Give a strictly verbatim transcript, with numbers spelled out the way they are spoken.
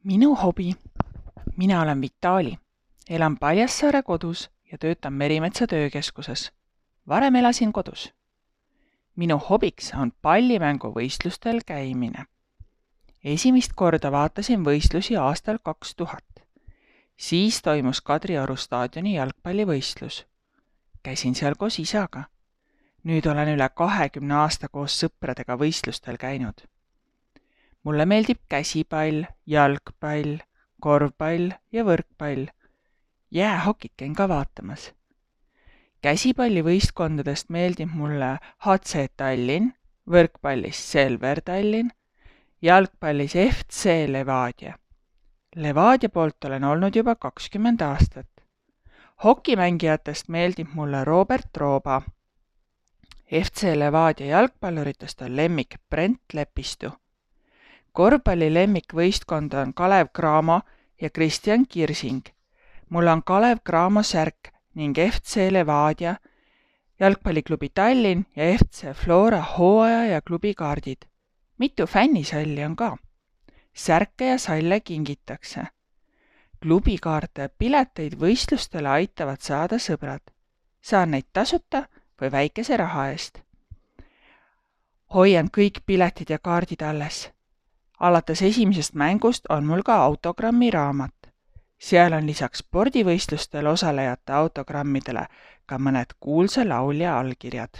Minu hobi. Mina olen Vitali. Elan Paljassaare kodus ja töötan Merimetsa töökeskuses. Varem elasin kodus. Minu hobiks on pallimänguvõistlustel käimine. Esimest korda vaatasin võistlusi aastal kaks tuhat. Siis toimus Kadrioru staadioni jalgpallivõistlus. Käisin seal koos isaga. Nüüd olen üle kahekümne aasta koos sõpradega võistlustel käinud. Mulle meeldib käsipall, jalgpall, korvpall ja võrkpall. Jäähokit käin ka vaatamas. Käsipallivõistkondadest meeldib mulle H C Tallinn, võrkpallis Selver Tallinn, jalgpallis F C Levadia. Levadia poolt olen olnud juba kakskümmend aastat. Hokimängijatest meeldib mulle Robert Rooba. F C Levadia jalgpalluritest on lemmik Brent Lepistu. Korvpalli lemmikvõistkond on Kalev Cramo ja Kristjan Kirsing. Mul on Kalev Cramo särk ning F C Levadia, jalgpalliklubi Tallinn ja F C Flora hooaja ja klubi kaardid. Mitu fännisalli on ka. Särke ja salle kingitakse. Klubikaarte ja pileteid võistlustele aitavad saada sõbrad. Saan neid tasuta või väikese raha eest. Hoian kõik piletid ja kaardid alles. Alates esimesest mängust on mul ka autogrammi raamat. Seal on lisaks spordivõistlustel osalejate autogrammidele ka mõned kuulsa laulja allkirjad.